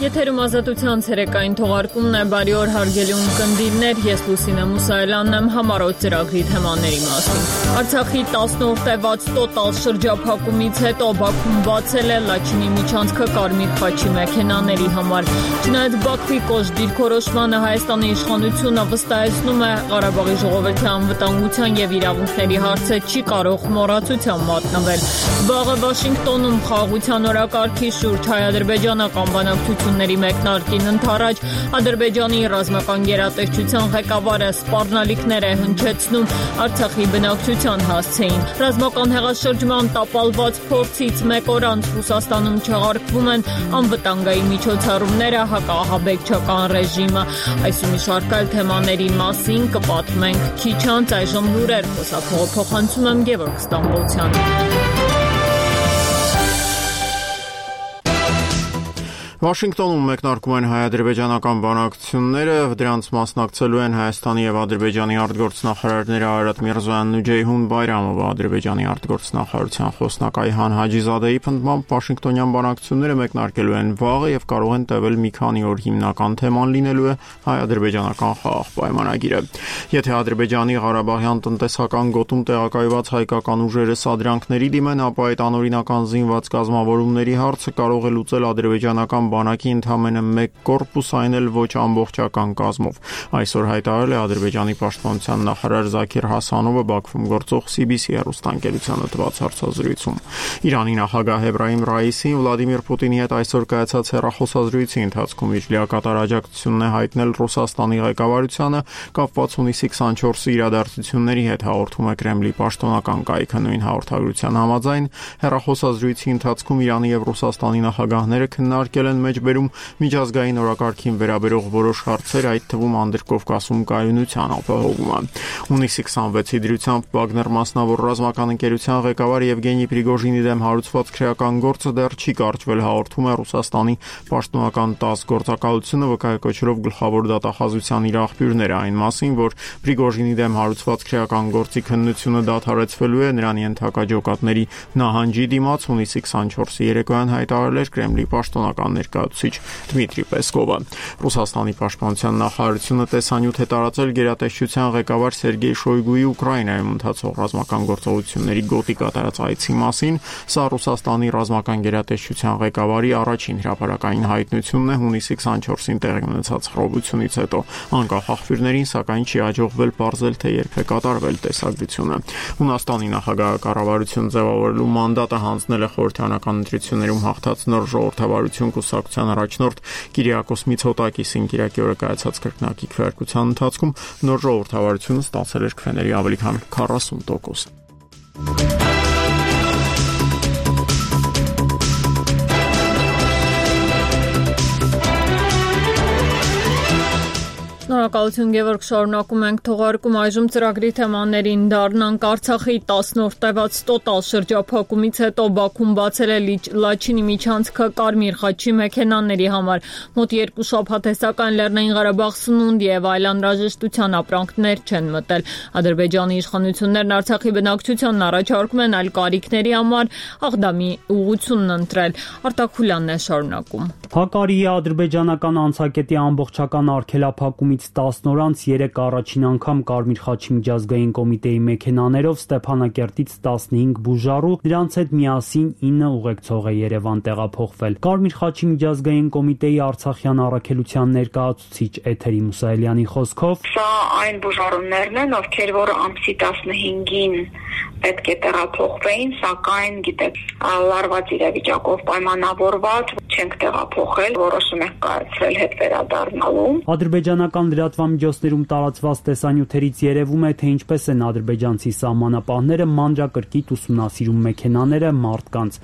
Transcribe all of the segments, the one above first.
Եթերում ազատության ցերեկային թողարկումն է, բարի օր հարգելի ունկնդիրներ, ես Լուսինե Մուսայելյանն եմ, համառոտ ծրագրի թեմաների մասին։ Արցախի 10-րդ տևած տոտալ շրջափակումից հետո Բաքուն բացել է Լաչինի միջանցքը Կարմիր խաչի մեքենաների համար։ Չնայած Բաքվի կոշտ դիրքորոշմանը Հայաստանի իշխանությունը վստահեցնում է Ղարաբաղի ժողովրդի անվտանգության եւ իրավունքների հարցը չի կարող մոռացության մատնվել։ Վաղը Վաշինգտոնում խաղաղության օրակարգի շուրջ հայ-ադրբեջանական բանակցությունների մեկնարկին ընթരാճ Ադրբեջանի ռազմական գերատեսչության ղեկավարը սպառնալիքներ է հնչեցնում Արցախի բնակչության հասցեին։ Ռազմական հեղաշրջման տապալված փորձից մեկ օր անց Ռուսաստանում չեղարկվում են անվտանգային միջոցառումները հակաահաբեկչական ռեժիմը։ Այս ու մի շարք այլ թեմաների մասին կպատմենք քիչ անց, այժմ լուրեր, խոսափողը փոխանցում եմ Գևորգ Ստամբոլցյանին։ Վաշինգտոնում մեկնարկում են հայ-ադրբեջանական բանակցությունները, դրանց մասնակցելու են Հայաստանի եւ Ադրբեջանի արտգործնախարարները Արարատ Միրզոյանն ու Ջեյհուն Բայրամովը։ Ադրբեջանի արտգործնախարարության խոսնակ Այհան Հաջիզադեի պնդմամբ Վաշինգտոնյան բանակցությունները մեկնարկելու են վաղը եւ կարող են տևել մի քանի օր։ Հիմնական թեման լինելու է հայ-ադրբեջանական խաղաղ պայմանագիրը։ Եթե Ադրբեջանի Ղարաբաղյան տնտեսական գոտում տեղակայված հայկական ուժերը սադրանքների դիմեն, ապա այդ անօրինական զինված կազմավորումների հարցը կարող է լուծել ադրբեջանական բանակի ընդամենը մեկ կորպուս, այն էլ ոչ ամբողջական կազմով։ Այսօր հայտարարել է Ադրբեջանի պաշտպանության նախարար Զաքիր Հասանովը Բաքվում գործող CBC հեռուստաընկերությանը տված հարցազրույցում։ Իրանի նախագահ Էբրահիմ Ռայիսին Վլադիմիր Պուտինի հետ այսօր կայացած հեռախոսազրույցի ընթացքում իր լիակատար աջակցությունն է հայտնել Ռուսաստանի ղեկավարությանը կապված հունիսի 24-ի իրադարձությունների հետ, հաղորդում է Կրեմլի պաշտոնական կայքը։ Նույն հաղորդագրության համաձայն հեռախոսազրույցի ընթացքում Իրանի եւ Ռուսաստանի նախագահները քննարկել են մեջբերում միջազգային օրակարգին վերաբերող որոշ հարցեր, այդ թվում Անդրկովկասում կայունության ապահովումը։ Հունիսի 26-ի դրությամբ Վագներ մասնավոր ռազմական ընկերության ղեկավար Եվգենի Պրիգոժինի դեմ հարուցված քրեական գործը դեռ չի կարճվել, հաղորդում է Ռուսաստանի պաշտոնական ՏԱՍՍ գործակալությունը, վկայակոչելով գլխավոր դատախազության իր աղբյուրները այն մասին, որ Պրիգոժինի դեմ հարուցված քրեական գործի քննությունը դադարեցվելու է նրան ենթակա ջոկատների նահանջի դիմաց։ Հունիսի 24-ի երեկոյան հայտարարել էր Կրեմլի պաշտոնական ներկայացուցիչ Դմիտրի Պեսկովը։ Ռուսաստանի պաշտպանության նախարարությունը տեսանյութ է տարածել գերատեսչության ղեկավար Սերգեյ Շոյգուի Ուկրաինայում ընթացող ռազմական գործողությունների գոտի կատարած այցի մասին։ Սա Ռուսաստանի ռազմական գերատեսչության ղեկավարի առաջին հրապարակային հայտնությունն է հունիսի 24-ին տեղի ունեցած խռովությունից հետո։ Անկախ աղբյուրներին, սակայն չի հաջողվել պարզել, թե երբ է կատարվել տեսագրությունը։ Հունաստանի նախագահակառավարություն ձևավորելու մանդատը հանձնել է խորհրդարանական ընտրություններում հաղթած նոր ժողովրդավարություն կուսակցության առաջնորդ Կիրիակոս Միցոտակիսին։ Կիրակի օրը կայացած կրկնակի քվեարկության ընթացքում նոր ժողովրդավարությունը ստացել էր քվեների ավելի քան 40%։ Շնորհակալություն Գևորգ, շարունակում ենք թողարկում, այժմ ծրագրի թեմաներին դառնանք։ Արցախի 10-րդ տևած տոտալ շրջափակումից հետո Բաքուն բացել է Լաչինի միջանցքը Կարմիր խաչի մեքենաների համար։ Մոտ 2 շաբաթ է, սակայն Լեռնային Ղարաբաղ սնունդ եւ այլ անհրաժեշտության ապրանքներ չեն մտել։ Ադրբեջանի իշխանություններն Արցախի բնակչությանն առաջարկում են այլ կարիքների համար Աղդամի ուղղությունն ընտրել։ Արտակ Խուլյանն է շարունակում։ Հակարիի ադրբեջանական անցակետի ամբողջական արգելափակումից 10 օր անց 3 առաջին անգամ Կարմիր խաչի միջազգային կոմիտեի մեքենաներով Ստեփանակերտից 15 բուժառու, դրանց հետ միասին 9 ուղեկցող է Երևան տեղափոխվել։ Կարմիր խաչի միջազգային կոմիտեի Արցախյան առաքելության ներկայացուցիչ Էթերի Մուսայելյանի խոսքով սա այն բուժառուներն են, ովքեր որ ամսի 15-ին պետք է տեղափոխվեին, սակայն գիտեք, լարված իրավիճակով պայմանավորված չենք տեղափոխել, որոշում ենք կայացրել հետ վերադառնալու։ Ադրբեջանական լրատվամիջոցներում տարածված տեսանյութերից երևում է, թե ինչպես են ադրբեջանցի սահմանապահները մանրակրկիտ ուսումնասիրում մեքենաները մարդկանց։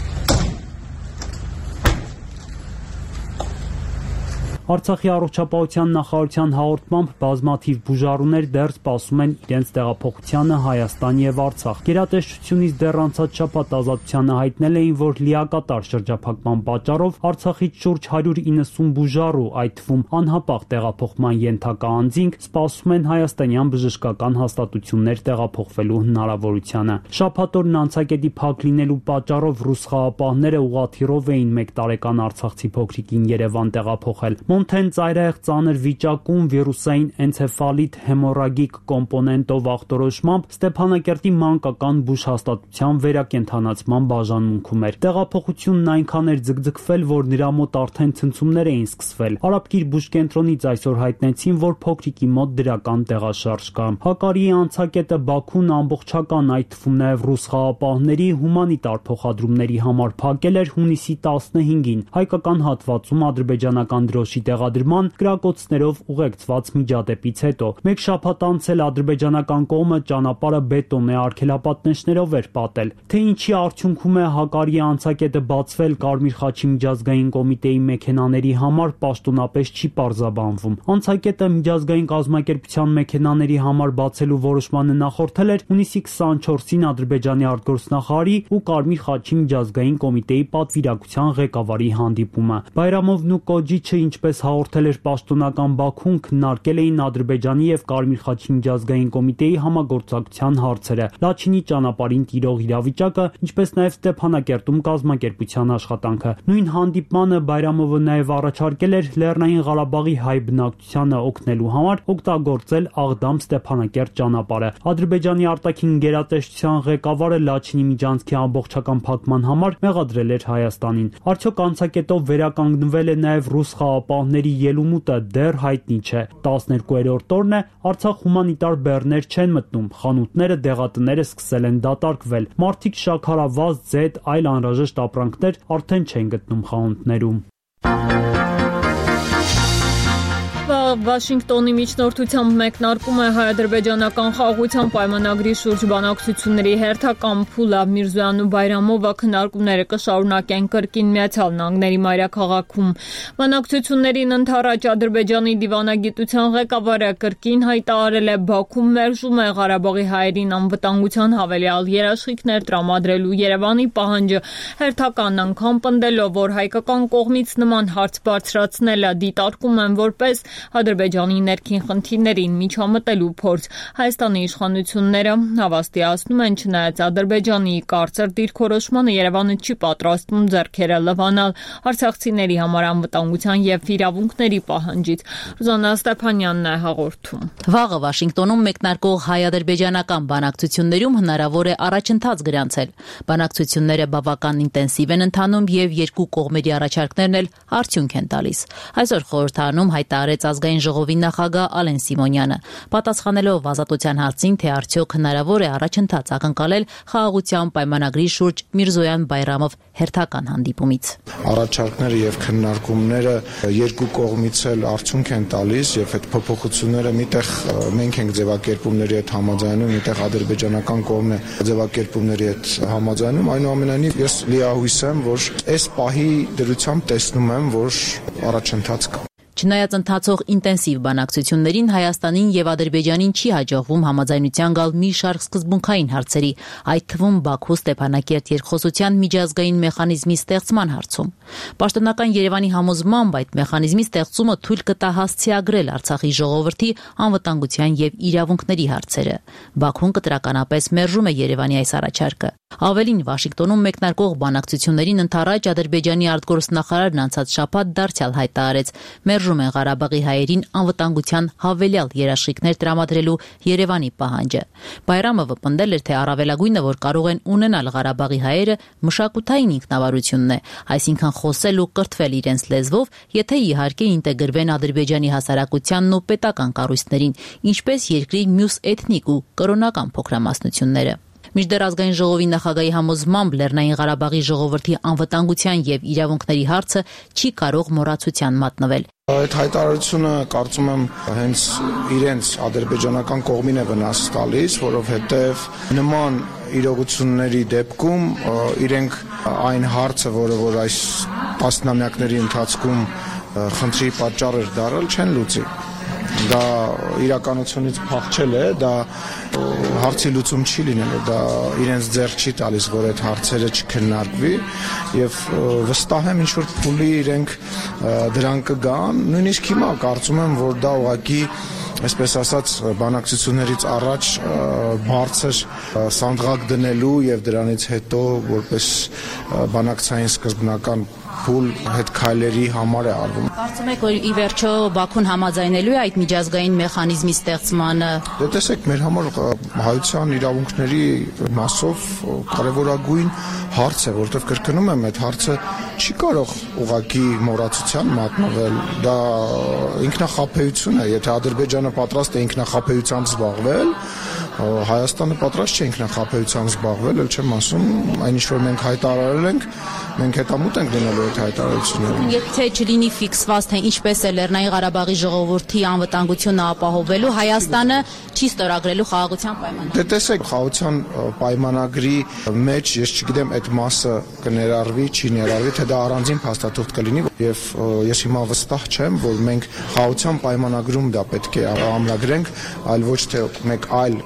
Արցախի առողջապահության նախարարության հաղորդմամբ բազմաթիվ բուժառուներ դեռ սպասում են իրենց տեղափոխությանը Հայաստան եւ Արցախ։ Գերատեսչությունից դեռ անցած շաբաթ Ազատությանը հայտնել էին, որ լիակատար շրջափակման պատճառով Արցախից շուրջ 190 բուժառու, այդ թվում անհապաղ տեղափոխման ենթակա անձինք, սպասում են հայաստանյան բժշկական հաստատություններ տեղափոխվելու հնարավորությանը։ Շաբաթ օրն անցակետի փակ լինելու պատճառով ռուս խաղապահները ուղղաթիռով էին 1 տարեկան արցախցի փոքրիկին Երևան տեղափոխել։ Մոնթեն ծայրահեղ ծանր վիճակում վիրուսային էնցեֆալիտ հեմորագիկ կոմպոնենտով ախտորոշմամբ Ստեփանակերտի մանկական բուժհաստատության վերակենդանացման բաժանմունքում էր։ Տեղափոխությունն այնքան էր ձգձգվել, որ նրա մոտ արդեն ցնցումներ էին սկսվել։ Արաբկիր բուժկենտրոնից այսօր հայտնեցին, որ փոքրիկի մոտ դրական տեղաշարժ կա։ Հակարիի անցակետը Բաքուն ամբողջական, այդ թվում նաև ռուս խաղապահների հումանիտար փոխադրումների համար փակել էր հունիսի 15-ին հայկական հատվածում ադրբեջանական դրոշի տեղադրման կրակոցներով ուղեկցված միջադեպից հետո։ Մեկ շաբաթ անց էլ ադրբեջանական կողմը ճանապարհը բետոնե արգելապատնեշներով էր պատել։ Թե ինչի արդյունքում է Հակարիի անցակետը բացվել Կարմիր խաչի միջազգային կոմիտեի մեքենաների համար, պաշտոնապես չի պարզաբանվում։ Անցակետը միջազգային կազմակերպության մեքենաների համար բացելու որոշմանը նախորդել էր հունիսի 24-ին Ադրբեջանի արտգործնախարարի ու Կարմիր խաչի միջազգային կոմիտեի պատվիրակության ղեկավարի հանդիպումը։ Բայրամովն ու Կոջիչը, ինչպես հաղորդել էր պաշտոնական Բաքուն, քննարկել էին Ադրբեջանի եւ Կարմիր խաչի միջազգային կոմիտեի համագործակցության հարցերը, Լաչինի ճանապարհին տիրող իրավիճակը, ինչպես նաեւ Ստեփանակերտում կազմակերպության աշխատանքը։ Նույն հանդիպմանը Բայրամովը նաեւ առաջարկել էր Լեռնային Ղարաբաղի հայ բնակչությանը օգնելու համար օգտագործել Աղդամ-Ստեփանակերտ ճանապարհը։ Ադրբեջանի արտաքին գերատեսչության ղեկավարը Լաչինի միջանցքի ամբողջական փակման համար մեղադրել էր Հայաստանին։ Արդյոք անցակետով վերականգնվել է նաև ռուս խաղապահների ելումուտը, դեռ հայտնի չէ։ 12-րդ օրն է, Արցախ հումանիտար բեռներ չեն մտնում, խանութները, դեղատները սկսել են դատարկվել։ Մարդիկ շաքարավազ, ձետ, այլ անհրաժեշտ ապրանքներ արդեն չեն գտնում խանութներում։ Վաշինգտոնի միջնորդությամբ մեկնարկում է հայ-ադրբեջանական խաղաղության պայմանագրի շուրջ բանակցությունների հերթական փուլը։ Միրզոյանն ու Բայրամովը քննարկումները կշարունակեն կրկին Միացյալ Նահանգների մայրաքաղաքում։ Բանակցություններին ընդառաջ Ադրբեջանի դիվանագիտության ղեկավարը կրկին հայտարարել է, Բաքուն մերժում է Ղարաբաղի հայերին անվտանգության հավելյալ երաշխիքներ տրամադրելու Երևանի պահանջը, հերթական անգամ պնդելով, որ հայկական կողմից նման հարց բարձրացնելը դիտարկում են որպես Ադրբեջանի ներքին խնդիրներին միջամտելու փորձ։ Հայաստանի իշխանությունները հավաստիացնում են, չնայած Ադրբեջանի կարծր դիրքորոշմանը Երևանը չի պատրաստվում ձեռքերը լվանալ արցախցիների համար անվտանգության եւ իրավունքների պահանջից։ Ռուզաննա Ստեփանյանն է հաղորդում։ Վաղը Վաշինգտոնում մեկնարկող հայ-ադրբեջանական բանակցություններում հնարավոր է առաջընթաց գրանցել։ Բանակցությունները բավական ինտենսիվ են ընթանում եւ երկու կողմերի առաջարկներն էլ արդյունք են տալիս։ Այսօր խորհրդարանում հայտարարեց ազգային ժողովի նախագահ Ալեն Սիմոնյանը, պատասխանելով ազատության հարցին, թե արդյոք հնարավոր է առաջընթաց ակնկալել խաղաղության պայմանագրի շուրջ Միրզոյան-Բայրամով հերթական հանդիպումից։ Առաջարկները եւ քննարկումները երկու կողմից էլ արդյունք են տալիս եւ այդ փոփոխությունները միտեղ մենք ենք ձևակերպումների հետ համաձայնում, միտեղ ադրբեջանական կողմն է ձևակերպումների հետ համաձայնում, այնուամենայնիվ ես լիահույս եմ, որ այս պահի դրությամբ տեսնում եմ, որ առաջընթաց կա։ Չնայած ընթացող ինտենսիվ բանակցություններին Հայաստանին եւ Ադրբեջանին չի հաջողվում համաձայնության գալ մի շարք սկզբունքային հարցերի, այդ թվում Բաքու-Ստեփանակերտ երկխոսության միջազգային մեխանիզմի ստեղծման հարցում։ Պաշտոնական Երևանի համոզմամբ այդ մեխանիզմի ստեղծումը թույլ կտա հասցեագրել Արցախի ժողովրդի անվտանգության եւ իրավունքների հարցերը։ Բաքուն կտրականապես մերժում է Երևանի այս առաջարկը։ Ավելին, Վաշինգտոնում մեկնարկող բանակցություններին ընդառաջ Ադրբեջանի արտգործնախարարն անցած շաբաթ դարձյալ հայտարարեց, մերժում են Ղարաբաղի հայերին անվտանգության հավելյալ երաշխիքներ տրամադրելու Երևանի պահանջը։ Բայրամովը պնդել էր, թե առավելագույնը, որ կարող են ունենալ Ղարաբաղի հայերը, մշակութային ինքնավարությունն է, այսինքն խոսել ու կրթվել իրենց լեզվով, եթե իհարկե ինտեգրվեն Ադրբեջանի հասարակությանն ու պետական կառույցներին, ինչպես երկրի մյուս էթնիկ ու կրոնական փոքրամասնությունները։ Մինչդեռ ազգային ժողովի նախագահի համոզմամբ Լեռնային Ղարաբաղի ժողովրդի անվտանգության եւ իրավունքների հարցը չի կարող մոռացության մատնվել։ Այդ հայտարարությունը կարծում եմ հենց իրենց ադրբեջանական կողմին է վնաս տալիս, որովհետև նման իրողությունների դեպքում իրենք այն հարցը, որը որ այս տասնամյակների ընթացքում խնդրի պատճառ էր դարել, չեն լուծի։ Դա իրականությունից փախչել է, դա հարցի լուծում չի լինելու, դա իրենց ձեռք չի տալիս, որ այդ հարցերը չքննարկվի եւ վստահ եմ ինչ որ փուլի իրենք դրան կգան, նույնիսկ հիմա կարծում եմ, որ դա ուղղակի այսպես ասած բանակցություններից առաջ բարձր սանդղակ դնելու եւ դրանից հետո որպես բանակցային սկզբնական փուլ հետ քայլերի համար է արվում։ Կարծում եք, որ ի վերջո Բաքուն համաձայնելու է այդ միջազգային մեխանիզմի ստեղծմանը։ Դե տեսեք, մեր համար հայության իրավունքների մասով կարևորագույն հարց է, որովհետև կրկնում եմ, այդ հարցը չի կարող ուղղակի մոռացության մատնվել, դա ինքնախապեյություն է, եթե Ադրբեջանը պատրաստ է ինքնախապեյությամբ զբաղվել, Հայաստանը պատրաստ չէ ինքնախապեյությամբ զբաղվել, ել չեմ ասում, այն ինչ որ մենք հայտարարել ենք, մենք հետամուտ ենք դնելու այդ հայտարարությունները։ Եթե չլինի ֆիքսված, թե ինչպես է Լեռնային Ղարաբաղի ժողովրդի անվտանգությունը ապահովելու, Հայաստանը չի ստորագրելու խաղաղության պայմանագիր։ Դե տեսեք, խաղաղության պայմանագրի մեջ ես չգիտեմ այդ մասը կներառվի, չի ներառվի, թե դա առանձին փաստաթուղթ կլինի, եւ ես հիմա վստահ չեմ, որ մենք խաղաղության պայմանագրում դա պետք է ամրագրենք, այլ ոչ թե մեկ այլ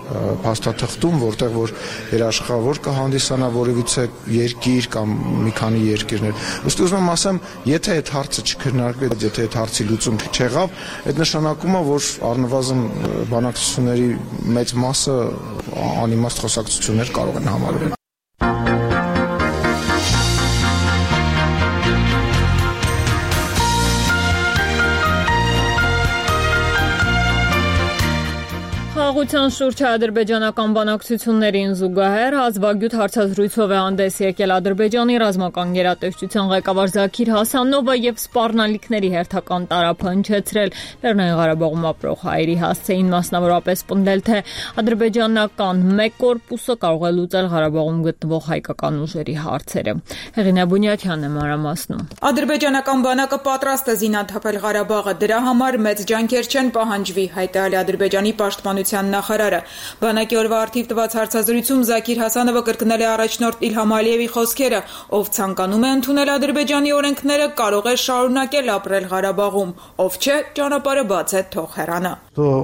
փաստաթղթում, որտեղ որ երաշխավոր կհանդիսանա որևիցե երկիր կամ մի քանի երկիրներ։ Ըստ ուզում եմ ասեմ, եթե այդ հարցը չքննարկվի, եթե այդ հարցի լուծում չեղավ, այդ նշանակում է, որ առնվազն բանակցությունների մեծ մասը անիմաստ խոսակցություններ կարող են համարվել։ Խաղաղության շուրջ ադրբեջանական բանակցություններին զուգահեռ հազվագյուտ հարցազրույցով է հանդես եկել Ադրբեջանի ռազմական գերատեսչության ղեկավար Զաքիր Հասանովը եւ սպառնալիքների հերթական տարափը հնչեցրել Լեռնային Ղարաբաղում ապրող հայերի հասցեին, մասնավորապես պնդել, թե ադրբեջանական մեկ կորպուսը կարող է լուծել Ղարաբաղում գտնվող հայկական ուժերի հարցերը։ Հեղինե Բունյաթյանն է մանրամասնում։ Ադրբեջանական բանակը պատրաստ է զինաթափել Ղարաբաղը, դրա համար մեծ ջանքեր չեն պահանջվի, հայտարարել Ադրբեջանի պաշտպանության նախարարը։ Բանակի օրվա արդիվ տված հարցազրույցում Զաքիր Հասանովը կրկնել է առաջնորդ Իլհամ Ալիևի խոսքերը, ով ցանկանում է ընդունել Ադրբեջանի օրենքները, կարող է շարունակել ապրել Ղարաբաղում, ով չէ, ճանապարհը բաց է, թող հեռանա։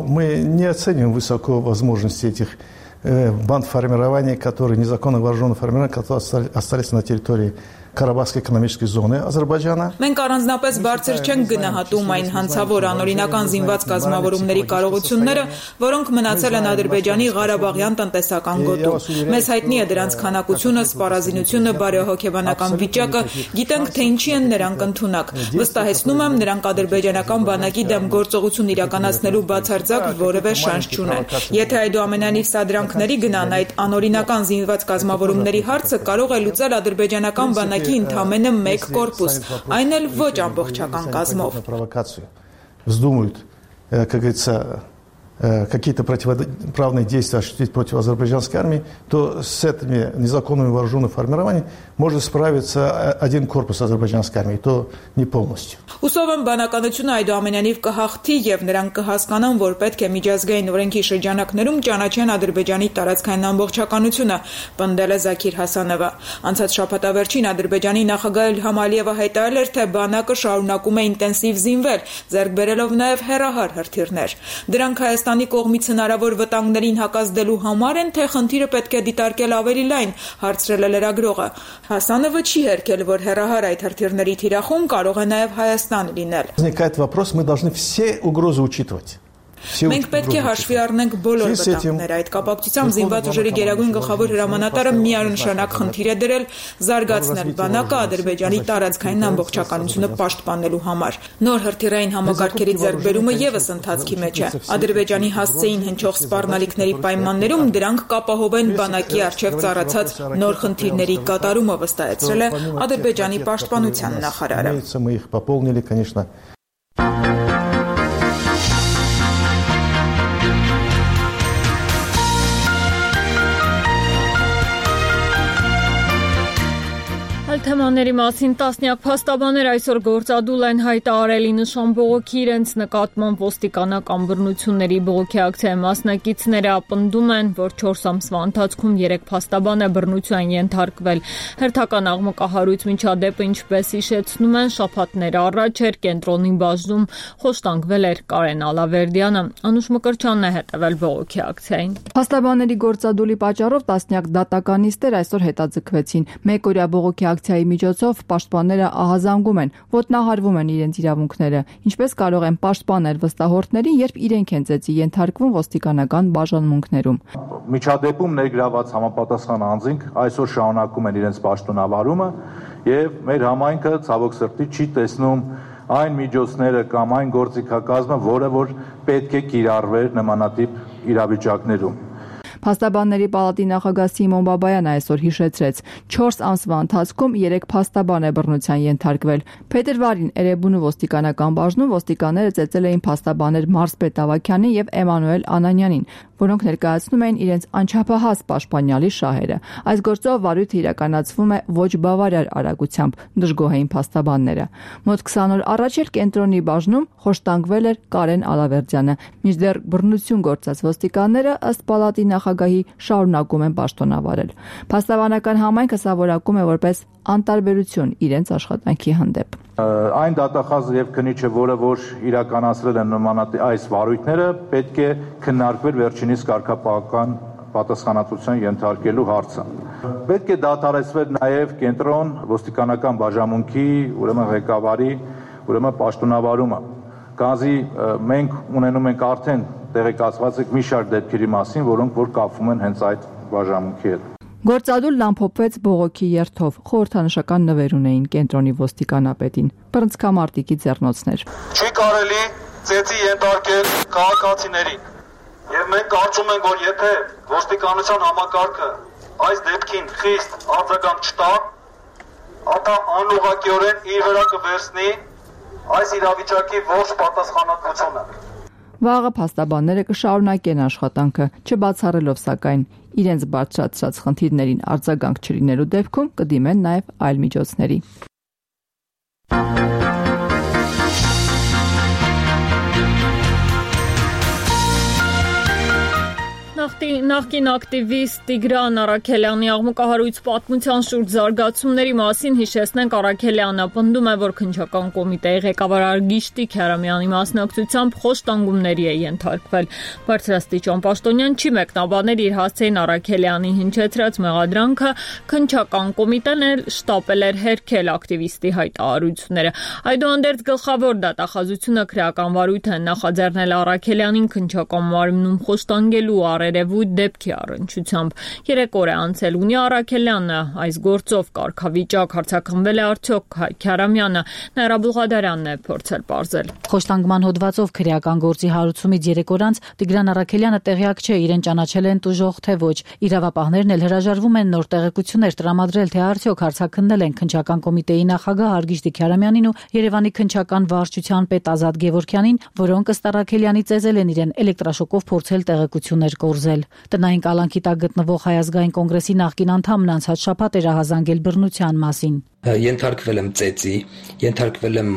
Мы не оцениваем высоко возможности этих банд формирования, которые незаконно вооруженных формирования, которые остались на территории Կարաբախի էկոնոմիկայի զոնը Ադրբեջանը։ Մենք առանձնապես բարձր չենք գնահատում այն հանցավոր անօրինական զինված կազմավորումների կարողությունները, որոնք մնացել են Ադրբեջանի Ղարաբաղյան տնտեսական գոտում։ Մեզ հայտնի է դրանց քանակությունը, սպառազինությունը, բարեհոգեբանական վիճակը, գիտենք, թե ինչի են նրանք ընդունակ։ Վստահեցնում եմ, նրանք ադրբեջանական բանակի դեմ գործողություն իրականացնելու բացարձակ որևէ շանս չունեն։ Եթե այդուամենայնիվ սադրանքների գնան, այդ անօրինական զինված կազմավորումների հարցը կարող է լուծել ադրբեջանական բանակի ընդամենը մեկ կորպուս, այն էլ ոչ ամբողջական կազմով։ Вздумают, как говорится, какие-то противоправные действия осуществить против азербайджанской армии, то с этими незаконными вооруженными формированиями может справиться один корпус азербайджанской армии, то не полностью. Հուսով եմ բանականությունը այդուամենայնիվ կհաղթի եւ նրանք կհասկանան, որ պետք է միջազգային օրենքի շրջանակներում ճանաչեն Ադրբեջանի տարածքային ամբողջականությունը, պնդել է Զաքիր Հասանովը։ Անցած շաբաթավերջին Ադրբեջանի նախագահ Իլհամ Ալիևը հայտարարել էր, թե բանակը շարունակում է ինտենսիվ զինվել, ձեռք բերելով նաեւ հեռահար հրթիռներ։ Դրանք Հայաստանի կողմից հնարավոր վտանգներին հակազդելու համար են, թե խնդիրը պետք է դիտարկել ավելի լայն, հարցրել է լրագրողը։ Հասանովը չի հերքել, որ հեռահար այդ հրթիռների թիրախում կարող է նաեւ Հայաստան լինել։ Возникает вопрос, мы должны все угрозы учитывать. Մենք պետք է հաշվի առնենք բոլոր վտանգները։ Այդ կապակցությամբ զինված ուժերի գերագույն գլխավոր հրամանատարը միանշանակ խնդիր է դրել զարգացնել բանակը Ադրբեջանի տարածքային ամբողջականությունը պաշտպանելու համար։ Նոր հրթիռային համակարգերի ձեռքբերումը եւս ընթացքի մեջ է։ Ադրբեջանի հասցեին հնչող սպառնալիքների պայմաններում դրանք կապահովեն բանակի արչեւ ծառացած նոր խնդիրների կատարումը, վստահեցրել է Ադրբեջանի պաշտպանության նախարարը։ Այլ թեմաների մասին տասնյակ փաստաբաններ այսօր գործադուլ են հայտարարել նշան բողոքի իրենց նկատմամբ ոստիկանական բռնությունների բողոքի ակցիայի մասնակիցները պնդում են, որ 4 ամսվա ընթացքում 3 փաստաբան է բռնության ենթարկվել։ Հերթական աղմկահարույց միջադեպը, ինչպես հիշեցնում են, շաբաթներ առաջ էր կենտրոնի բաժնում խոշտանգվել էր Կարեն Ալավերդյանը։ Անուշ Մկրտչյանն է հետևել բողոքի ակցիային։ Փաստաբանների գործադուլի պատճառով տասնյակ դատականիստեր այսօր հետաձգվեցին։ Մեկօրյա բողոքի ակցիայի միջոցով պաշտպանները ահազանգում են, ոտնահարվում են իրենց իրավունքները, ինչպես կարող են պաշտպանել վստահորդներին, երբ իրենք են ծեծի ենթարկվում ոստիկանական բաժանմունքներում։ Միջադեպում ներգրաված համապատասխան անձինք այսօր շարունակում են իրենց պաշտոնավարումը եւ մեր համայնքը ցավոք սրտի չի տեսնում այն միջոցները կամ այն գործիքակազմը, որը որ պետք է կիրառվեր նմանատիպ իրավիճակներում։ Փաստաբանների պալատի նախագահ Սիմոն Բաբայանը այսօր հիշեցրեց, 4 ամսվա ընթացքում 3 փաստաբան է բռնության ենթարկվել։ Փետրվարին Էրեբունու ոստիկանական բաժնում ոստիկանները ծեծել էին փաստաբաներ Մարսպետ Ավագյանին եւ Էմանուել Անանյանին, որոնք ներկայացնում էին իրենց անչափահաս պաշտպանյալի շահերը։ Այս գործով վարույթը իրականացվում է ոչ բավարար արագությամբ, դժգոհ էին փաստաբանները։ Մոտ 20 օր առաջ էլ կենտրոնի բաժնում խոշտանգվել էր Կարեն Ալավերդյանը, մինչդեռ բռնություն գործած ոստիկանները ըստ պալատի նախագահի շարունակում են պաշտոնավարել։ Փաստաբանական համայնքը սա որակում է որպես անտարբերություն իրենց աշխատանքի հանդեպ։ Այն դատախազը եւ քննիչը, որը որ իրականացրել են նմանատիպ այս վարույթները, պետք է քննարկվեր վերջինիս կարգապահական պատասխանատվության ենթարկելու հարցը։ Պետք է դադարեցվեր նաեւ կենտրոն ոստիկանական բաժանմունքի, ուրեմն ղեկավարի, պաշտոնավարումը։ Գազի մենք ունենում ենք արդեն տեղեկացված մի շարք դեպքերի մասին, որոնք որ կապվում են հենց այդ բաժանմունքի հետ։ Գործադուլն ամփոփվեց բողոքի երթով, խորհրդանշական նվեր ունեին կենտրոնի ոստիկանապետին, բռնցքամարտիկի ձեռնոցներ։ Չի կարելի ծեծի ենթարկել քաղաքացիներին, եւ մենք կարծում ենք, որ եթե ոստիկանության համակարգը այս դեպքին խիստ արձագանք չտա, ապա անուղղակիորեն իր վրա կվերցնի այս իրավիճակի ողջ պատասխանատվությունը։ Վաղը փաստաբանները կշարունակեն աշխատանքը, չբացառելով սակայն իրենց բարձրացրած խնդիրներին արձագանք չլինելու դեպքում կդիմեն նաև այլ միջոցների։ Նախկին ակտիվիստ Տիգրան Առաքելյանի աղմկահարույց պատմության շուրջ զարգացումների մասին հիշեցնենք Առաքելյանը պնդում է, որ քննչական կոմիտեի ղեկավար Արգիշտիկ Հերամյանի մասնակցությամբ խոշտանգումների է ենթարկվել։ Բարձրաստիճան պաշտոնյան չի մեկնաբանել իր հասցեին Առաքելյանի հնչեցրած մեղադրանքը, քննչական կոմիտեն էլ շտապել էր հերքել ակտիվիստի հայտարարությունները։ Այդուհանդերձ գլխավոր դատախազությունը քրեական վարույթ է նախաձեռնել Առաքելյանին քննչական մարմնում խոշտանգելու երևույթ դեպքի առնչությամբ 3 օր է անցել ունի Առաքելյանը այս գործով կարգավիճակ հարցակնվել է արդյոք Քարամյանը Նաիրա Բուղադարյանն է փորձել պարզել։ Խոշտանգման հոդվածով քրեական գործի հարուցումից 3 օր անց Տիգրան Առաքելյանը տեղյակ չէ իրեն ճանաչել են տուժող թե ոչ։ Իրավապահներն էլ հրաժարվում են նոր տեղեկություններ տրամադրել թե արդյոք հարցակննել են քննչական կոմիտեի նախագահ Արգիշտիկ Քարամյանին ու Երևանի քննչական վարչության պետ Ազատ Գևորգյանին, որոնք ըստ Առաքելյանի ծեզել են իրեն էլեկտրաշոկով փորձել տեղեկություններ կորզել։ Տնային կալանքի տակ գտնվող Հայ ազգային կոնգրեսի նախկին անդամն անցած շաբաթ էր ահազանգել բռնության մասին։ Ենթարկվել եմ ծեծի, ենթարկվել եմ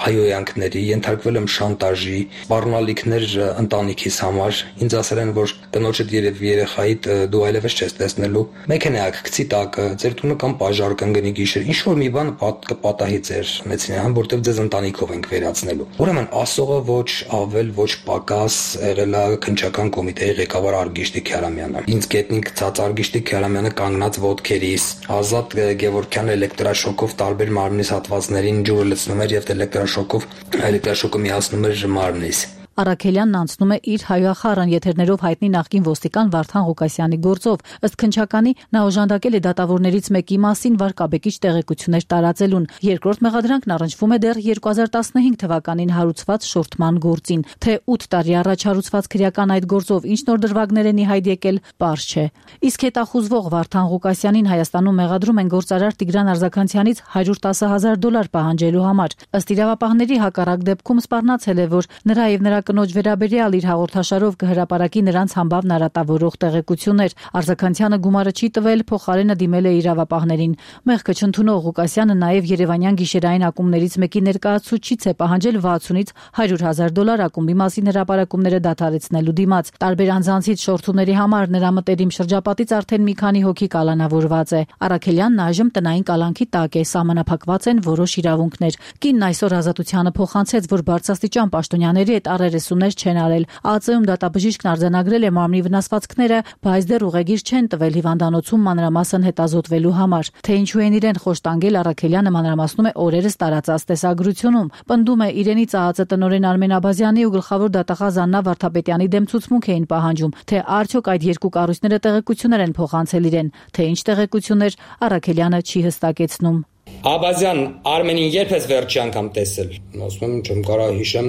հայոյանքների, ենթարկվել եմ շանտաժի, սպառնալիքներ ընտանիքիս համար։ Ինձ ասել են, որ տնոջդ երեխայիդ դու այլևս չես տեսնելու։ Մեքենայակ գցի տակը, ձեր տունը կամ պաժար կընկնի գիշեր, ինչ որ մի բան կպատահի ձեր մեծին, որտեղ ձեզ ընտանիքով ենք վերացնելու։ Ուրեմն ասողը ոչ ավել, ոչ պակաս եղել է քննչական կոմիտեի ղեկավար Արգիշտիկ Քարամյանը։ Ինձ գետնին գցած Արգիշտիկ Քարամյանը կանգնած ոտքերիս, Ազատ Գևորգյանը էլեկտրաշոկով տարբեր մարմնիս հատվածներին ջուրը լցնում էր եւ էլեկտրաշոկը միացնում էր մարմնիս։ Առաքելյանն անցնում է իր հայախառն եթերներով հայտնի նախկին ոստիկան Վարդան Ղուկասյանի գործով։ Ըստ քննչականի նա օժանդակել է դատավորներից մեկի մասին վարկաբեկիչ տեղեկություններ տարածելուն։ Երկրորդ մեղադրանքն առնչվում է դեռ 2015 թվականին հարուցված շորթման գործին։ Թե 8 տարի առաջ հարուցված քրեական այդ գործով ինչ նոր դրվագներ են ի հայտ եկել, պարզ չէ։ Իսկ հետախուզվող Վարդան Ղուկասյանին Հայաստանում մեղադրում են գործարար Տիգրան Արձականցյանից $110,000 պահանջելու համար։ Ըստ իրավապահների հակառակ դեպքում սպառնացել է, որ նրա եւ նրա կնոջ վերաբերյալ իր հաղորդաշարով կհրապարակի նրանց համբավ նարատավորող տեղեկություններ։ Արզականցյանը գումարը չի տվել, փոխարենը դիմել է իրավապահներին։ Մեղքը չընդունող Ղուկասյանը նաև Երևանյան գիշերային ակումբներից մեկի ներկայացուցիչից է պահանջել $600,000 $100,000 ակումբի մասին հրապարակումները դադարեցնելու դիմաց։ Տարբեր անձանցից շորթումների համար նրա մտերիմ շրջապատից արդեն մի քանի հոգի կալանավորված է։ Արաքելյանն այժմ տնային կալանքի տակ է, սահմանափակված են որոշ իրավունքներ։ Կինն այսօր Ազատությանը փոխանցեց, որ բարձրաստիճան պաշտոնյաների հետ առերեսումներ չեն արել։ ԱԱԾ-ում դատաբժիշկն արձանագրել է մարմնի վնասվածքները, բայց դեռ ուղեգիր չեն տվել հիվանդանոցում մանրամասն հետազոտվելու համար։ Թե ինչու են իրեն խոշտանգել, Արաքելյանը մանրամասնում է օրերս տարածած տեսագրությունում։ Պնդում է, իրենից ԱԱԾ տնօրեն Արմեն Աբազյանի ու գլխավոր դատախազ Աննա Վարդապետյանի դեմ ցուցմունք էին պահանջում, թե արդյոք այդ երկու կառույցները տեղեկություններ են փոխանցել իրեն, թե ինչ տեղեկություններ, Արաքելյանը չի հստակեցնում։ Աբազյան Արմենին երբես վերջի անգամ տեսել։ Ասում եմ, չեմ կարող հիշեմ,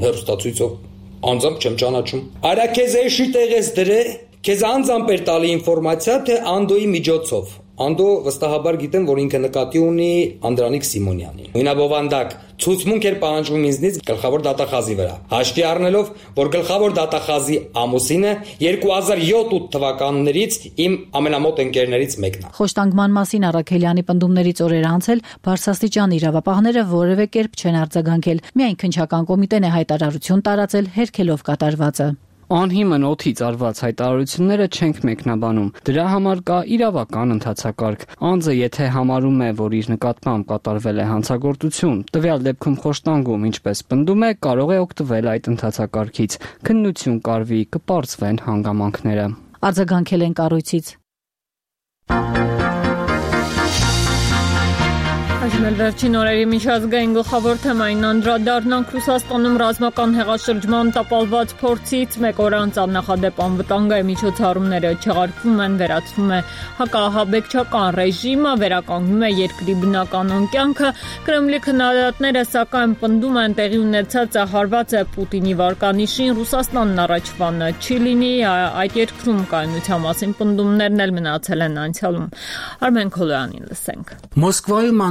հեռուստացույցով անձամբ չեմ ճանաչում։ Արա քեզ էշի տեղես դրե, քեզ անձամբ էր տալի ինֆորմացիա, թե Անդոյի միջոցով։ Անդո վստահաբար գիտեմ, որ ինքը նկատի ունի Անդրանիկ Սիմոնյանին։ Նույնաբովանդակ ցուցմունք էր պահանջվում ինձնից գլխավոր դատախազի վրա։ Հաշվի առնելով, որ գլխավոր դատախազի ամուսինը 2007-8 թվականներից իմ ամենամոտ ընկերներից մեկն է։ Խոշտանգման մասին Արաքելյանի պնդումներից օրեր անցել բարձրաստիճան իրավապահները որևէ կերպ չեն արձագանքել։ Միայն քննչական կոմիտեն է հայտարարություն տարածել հերքելով կատարվածը։ Անհիմն օդից արված հայտարարությունները չենք մեկնաբանում։ Դրա համար կա իրավական ընթացակարգ։ Անձը եթե համարում է, որ իր նկատմամբ կատարվել է հանցագործություն, տվյալ դեպքում խոշտանգում, ինչպես պնդում է, կարող է օգտվել այդ ընթացակարգից։ Քննություն կարվի, կպարզվեն հանգամանքները։ Արձագանքել են կառույցից։ Այժմ վերջին օրերի միջազգային գլխավոր թեմային անդրադառնանք Ռուսաստանում ռազմական հեղաշրջման տապալված փորձից մեկ օր անց աննախադեպ անվտանգային միջոցառումները չեղարկվում են, վերացվում է հակահաբեկչական ռեժիմը, վերականգնում է երկրի բնականon կյանքը։ Կրեմլի քննադատները սակայն պնդում են տեղի ունեցածը հարված է Պուտինի վարկանիշին, Ռուսաստանն առաջվանը չի լինի, այդ երկրում կայունության մասին պնդումներն էլ մնացել են անցյալում։ Արմեն Քոլոյանին լսենք։ Մոսկվայում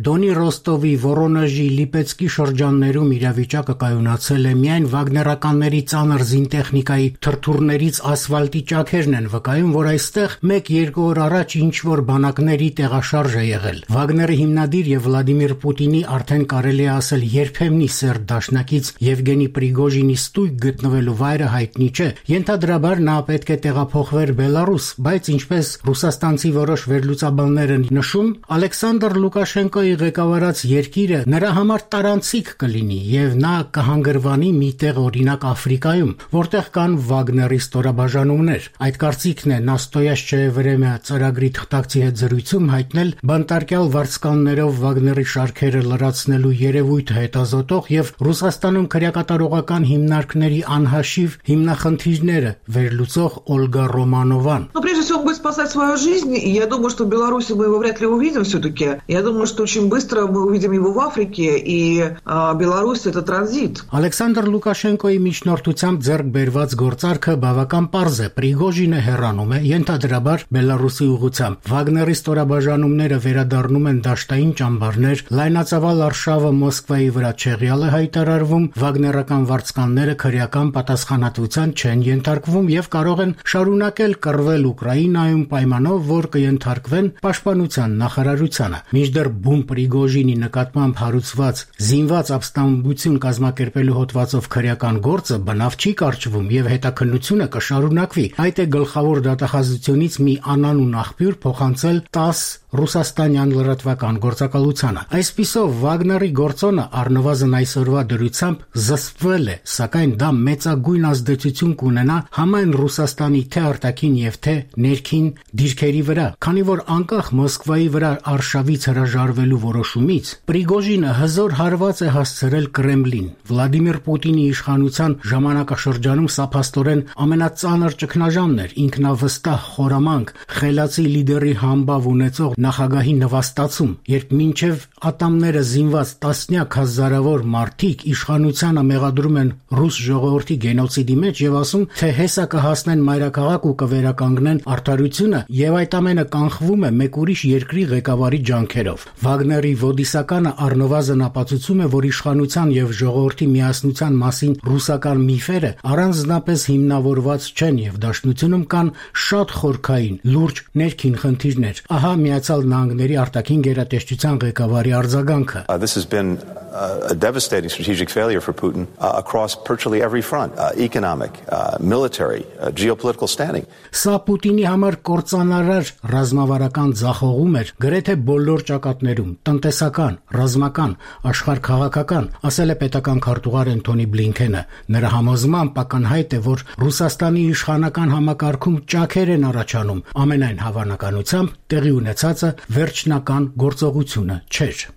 Դոնի, Ռոստովի, Վորոնեժի, Լիպեցկի շրջաններում իրավիճակը կայունացել է, միայն վագներականների ծանր զինտեխնիկայի թրթուրներից ասֆալտի ճաքերն են վկայում, որ այստեղ 1-2 օր առաջ ինչ-որ բանակների տեղաշարժ է եղել։ Վագների հիմնադիր եւ Վլադիմիր Պուտինի արդեն կարելի է ասել երբեմնի սերտ դաշնակից Եվգենի Պրիգոժինի ստույգ գտնվելու վայրը հայտնի չէ։ Ենթադրաբար նա պետք է տեղափոխվեր Բելարուս, բայց ինչպես ռուսաստանցի որոշ վերլուծաբաններ են նշում, Ալեքսանդր Լուկաշենկոյի ղեկավարած երկիրը նրա համար տարանցիկ կլինի եւ նա կհանգրվանի մի տեղ, օրինակ Աֆրիկայում, որտեղ կան Վագների ստորաբաժանումներ։ Այդ կարծիքն է Նաստոյաշչեևրեմյա ծրագրի թղթակցի հետ զրույցում հայտնել բանտարկյալ վարձկաններով Վագների շարքերը լրացնելու երևույթը հետազոտող եւ Ռուսաստանում քրեակատարողական հիմնարկների անհաշիվ հիմնախնդիրները վերլուծող Օլգա Ռոմանովան։ Прежде всего, он будет спасать свою жизнь, и я думаю, что в Беларуси мы его вряд ли увидим все-таки. Я думаю, что очень быстро мы увидим его в Африке, и Беларусь – это транзит. Ալեքսանդր Լուկաշենկոյի միջնորդությամբ ձեռք բերված գործարքը բավական պարզ է։ Պրիգոժինը հեռանում է, ենթադրաբար Բելարուսի ուղղությամբ։ Վագների ստորաբաժանումները վերադառնում են դաշտային ճամբարներ, լայնածավալ արշավը Մոսկվայի վրա չեղյալ է հայտարարվում, վագներական վարձկանները քրեական պատասխանատվության չեն ենթարկվում եւ կարող են շարունակել կռվել Ուկրաինայում պայմանով, որ կենթարկվեն պաշտպանության նախարարությանը։ Մինչդեռ բում Պրիգոժինի նկատմամբ հարուցված զինված ապստամբություն կազմակերպելու հոդվածով քրեական գործը բնավ չի կարճվում եւ հետաքննությունը կշարունակվի։ Այդ է գլխավոր դատախազությունից մի անանուն աղբյուր փոխանցել 10 ռուսաստանյան լրատվական գործակալությանը։ Այսպիսով Վագների գործոնը առնվազն այսօրվա դրությամբ զսպվել է, սակայն դա մեծագույն ազդեցություն կունենա համայն Ռուսաստանի թե արտաքին եւ թե ներքին դիրքերի վրա, քանի որ անկախ Մոսկվայի վրա արշավից հրաժարվելու որոշումից Պրիգոժինը հզոր հարված է հասցրել Կրեմլին։ Վլադիմիր Պուտինի իշխանության ժամանակաշրջանում սա փաստորեն ամենածանր ճգնաժամն էր, ինքնավստահ խորամանկ, խելացի լիդերի համբավ ունեցող նախագահի նվաստացում, երբ մինչև ատամները զինված տասնյակ հազարավոր մարդիկ իշխանությանը մեղադրում են ռուս ժողովրդի գենոցիդի մեջ եւ ասում, թե հեսա կհասնեն մայրաքաղաք ու կվերականգնեն արդարությունը եւ այդ ամենը կանխվում է մեկ ուրիշ երկրի ղեկավարի ջանքերով։ Վագների ոդիսականը առնվազն ապացուցում է, որ իշխանության եւ ժողովրդի միասնության մասին ռուսական միֆերը առանձնապես հիմնավորված չեն եւ դաշնությունում կան շատ խորքային, լուրջ ներքին խնդիրներ։ Ահա Միացյալ Նահանգների արտաքին գերատեսչության ղեկավարի արձագանքը։ This has been a devastating strategic failure for Putin across virtually every front, economic, military, geopolitical standing. Սա Պուտինի համար կործանարար ռազմավարական ձախողում էր գրեթե բոլոր ճակատներում՝ տնտեսական, ռազմական, աշխարհքաղաքական, ասել է պետական քարտուղար Անթոնի Բլինքենը։ Նրա համոզմամբ ակնհայտ է, որ Ռուսաստանի իշխանական համակարգում ճաքեր են առաջանում, ամենայն հավանականությամբ տեղի ունեցածը վերջնական գործողությունը չէր։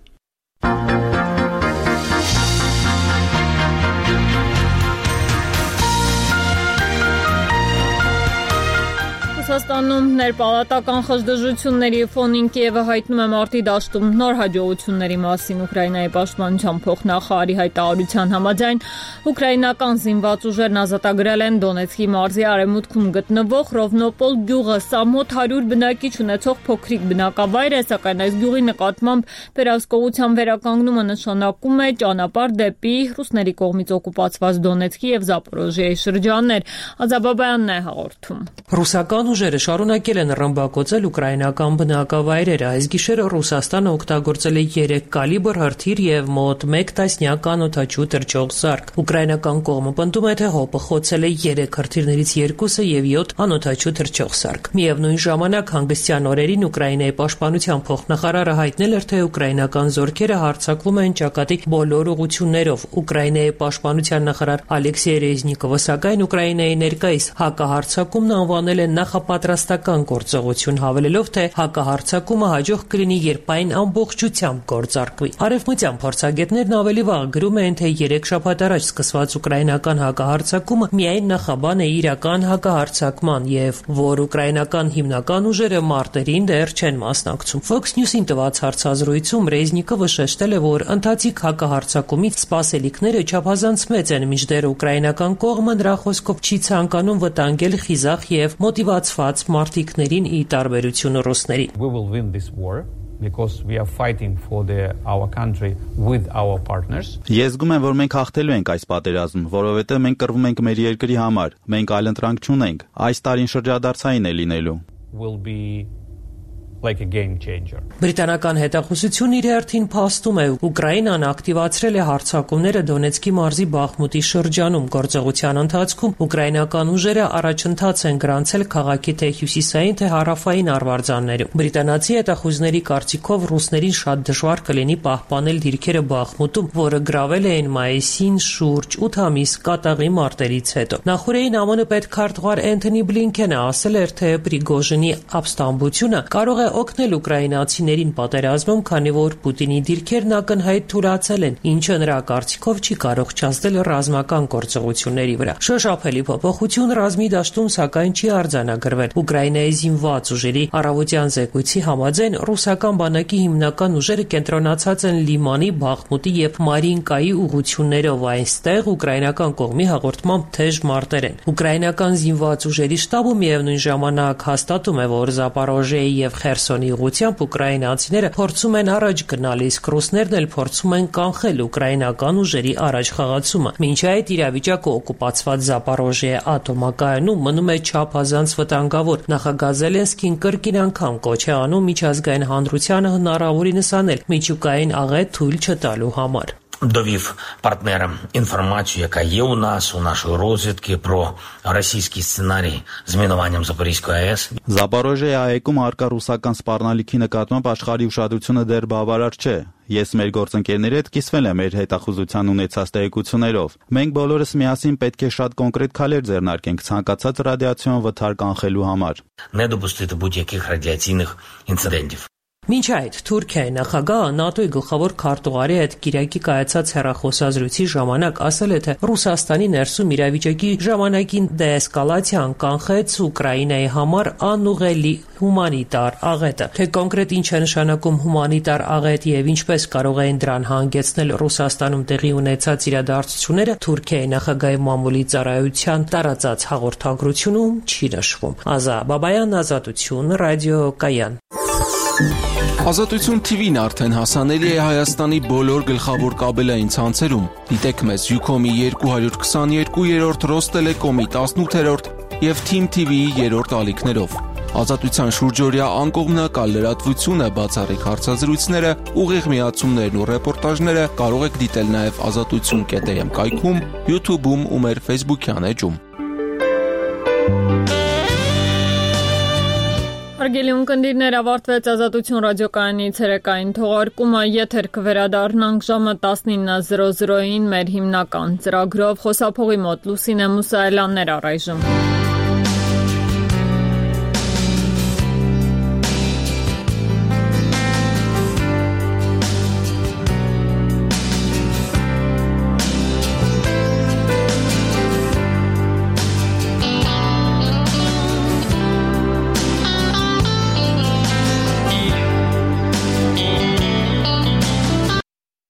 Ռուսաստանում ներպալատական խժդժությունների ֆոնին Կիևը հայտնում է մարտի դաշտում նոր հաջողությունների մասին Ուկրաինայի պաշտպանության փոխնախարարի հայտարարության համաձայն ուկրաինական զինված ուժերն ազատագրել են Դոնեցկի մարզի արևմուտքում գտնվող Ռովնոպոլ գյուղը։ Սա մոտ 100 բնակիչ ունեցող փոքրիկ բնակավայր է, սակայն այս գյուղի նկատմամբ վերահսկողության վերականգնումը նշանակում է ճանապարհ դեպի ռուսների կողմից օկուպացված Դոնեցկի եւ Զապորոժիայի շրջաններ։ Ազաբաբյանն է հաղորդում։ Ռուսական ուժերը շարունակել են ռմբակոծել ուկրաինական բնակավայրերը։ Այս գիշերը Ռուսաստանը օգտագործել է 3 կալիբր հրթիռ եւ մոտ 1 տասնյակ անօդաչու թռչող զարկ։ Ուկրաինական կողմը պնդում է, թե ՀՕՊ-ը խոցել է 3 հրթիռներից 2-ը եւ 7 անօդաչու թռչող զարկ։ Միևնույն ժամանակ հանգստյան օրերին Ուկրաինայի պաշտպանության փոխնախարարը հայտնել էր, թե ուկրաինական զորքերը հարձակվում են ճակատի բոլոր ուղղություններով։ Ուկրաինայի պաշտպանության նախարար Ալեքսեյ Ռեզնիկովը սակայն Ուկրաինայի ներկայիս հակահարձակումն անվանել է նախապատրաստական գործողություն, հավելելով, թե հակահարձակումը հաջող կլինի, երբ այն ամբողջությամբ գործարկվի։ Արևմտյան փորձագետներն ավելի վաղ գրում են, թե 3 շաբաթ առաջ սկսված ուկրաինական հակահարձակումը միայն նախաբան է իրական հակահարձակման եւ որ ուկրաինական հիմնական ուժերը մարտերին դեռ չեն մասնակցում։ Fox News-ին տված հարցազրույցում Ռեզնիկովը շեշտել է, որ ընթացիկ հակահարձակումից սպասելիքները չափազանց մեծ են, մինչդեռ ուկրաինական կողմը նրա խոսքով չի ցանկանում վտանգել խիզախ եւ մոտիվացված մարտիկներին ի տարբերություն ռուսների։ Because we are fighting for our country with our partners. Ես զգում եմ, որ մենք հաղթելու ենք այս պատերազմը, որովհետև մենք կռվում ենք մեր երկրի համար։ Մենք այլընտրանք չունենք։ Այս տարին շրջադարձային է լինելու։ Will be like a game changer. Բրիտանական հետախուզությունն իր հերթին փաստում է, Ուկրաինան ակտիվացրել է հարձակումները Դոնեցկի մարզի Բախմուտի շրջանում։ Գործողության ընթացքում ուկրաինական ուժերը առաջընթաց են գրանցել քաղաքի թե հյուսիսային, թե հարավային արվարձաններում։ Բրիտանացի հետախուզների կարծիքով ռուսներին շատ դժվար կլինի պահպանել դիրքերը Բախմուտում, որը գրավել էին մայիսին շուրջ 8 ամիս կատաղի մարտերից հետո։ Նախորդին ԱՄՆ պետքարտուղար Անթոնի Բլինքենը ասել էր, թե Պրիգոժինի ապստամբությունը կարող է օգնել ուկրաինացիներին պատերազմում, քանի որ Պուտինի դիրքերն ակնհայտ թուլացել են, ինչը նրա կարծիքով չի կարող չազդել ռազմական գործողությունների վրա։ Շոշափելի փոփոխություն ռազմի դաշտում սակայն չի արձանագրվել։ Ուկրաինայի զինված ուժերի առավոտյան զեկույցի համաձայն ռուսական բանակի հիմնական ուժերը կենտրոնացած են Լիմանի, Բախմուտի եւ Մարինկայի ուղություններով, այնստեղ ուկրաինական կողմի հաղորդմամբ թեժ մարտեր են։ Ուկրաինական զինված ուժերի շտաբը միևնույն ժամանակ հաստատում է, որ Զապորոժիայի եւ Խերսոնի ուղությամբ ուկրաինացիները փորձում են առաջ գնալ, իսկ ռուսներն էլ փորձում են կանխել ուկրաինական ուժերի առաջ խաղացումը։ Մինչ այդ իրավիճակը օկուպացված Զապորոժիայի ատոմակայանում մնում է չափազանց վտանգավոր։ Նախագահ Զելենսկին կրկին անգամ կոչ է անում միջազգային հանրությանը հնարավորինս անել միջուկային աղետ թույլ չտալու համար։ Довів партнерам інформацію, яка є у нашої розвідки про російський сценарій з мінуванням Запорізької АЕС. Զապորոժիայի այգում արկա ռուսական սպառնալիքի նկատմամբ աշխարհի ուշադրությունը դեռ բավարար չէ։ Ես մեր գործընկերների հետ կիսվել եմ մեր հետախուզության ունեցած տեղեկություններով։ Մենք բոլորս միասին պետք է շատ կոնկրետ քայլեր ձեռնարկենք ցանկացած ռադիացիոն վթար կանխելու համար։ Не допустити будь-яких радіаційних інцидентів. Մինչ այդ Թուրքիայի նախագահը ՆԱՏՕ-ի գլխավոր քարտուղարի հետ Կիրակի կայացած հեռախոսազրույցի ժամանակ ասել է, թե Ռուսաստանի ներսում իրավիճակի ժամանակին դեէսկալացիան կանխեց Ուկրաինայի համար անուղղելի հումանիտար աղետը։ Թե կոնկրետ ինչ է նշանակում հումանիտար աղետ եւ ինչպես կարող էին դրան հանգեցնել Ռուսաստանում տեղի ունեցած իրադարձությունները, Թուրքիայի նախագահի մամուլի ծառայության տարածած հաղորդագրությունում չի նշվում։ Ազա Բաբայան, Ազատություն, Ռադիո Կայան։ Ազատություն TV-ն արդեն հասանելի է Հայաստանի բոլոր գլխավոր կաբելային ցանցերում։ Դիտեք մեզ Ucom-ի 222-րդ, Ռոստելեկոմի 18-րդ եւ Team TV-ի 3-րդ ալիքներով։ Ազատության շուրջօրյա անկողմնակալ լրատվությունը, բացառիկ հարցազրույցները, ուղիղ միացումներն ու ռեպորտաժները կարող եք դիտել նաեւ azatutsun.am կայքում, YouTube-ում ու մեր Facebook-յան էջում։ Հարգելի ունկնդիրներ, ավարտվեց Ազատություն ռադիոկայանի ցերեկային թողարկումը, եթեր կվերադառնանք ժամը 19:00-ին մեր հիմնական ծրագրով, խոսափողի մոտ Լուսինե Մուսայելյաններ առայժմ։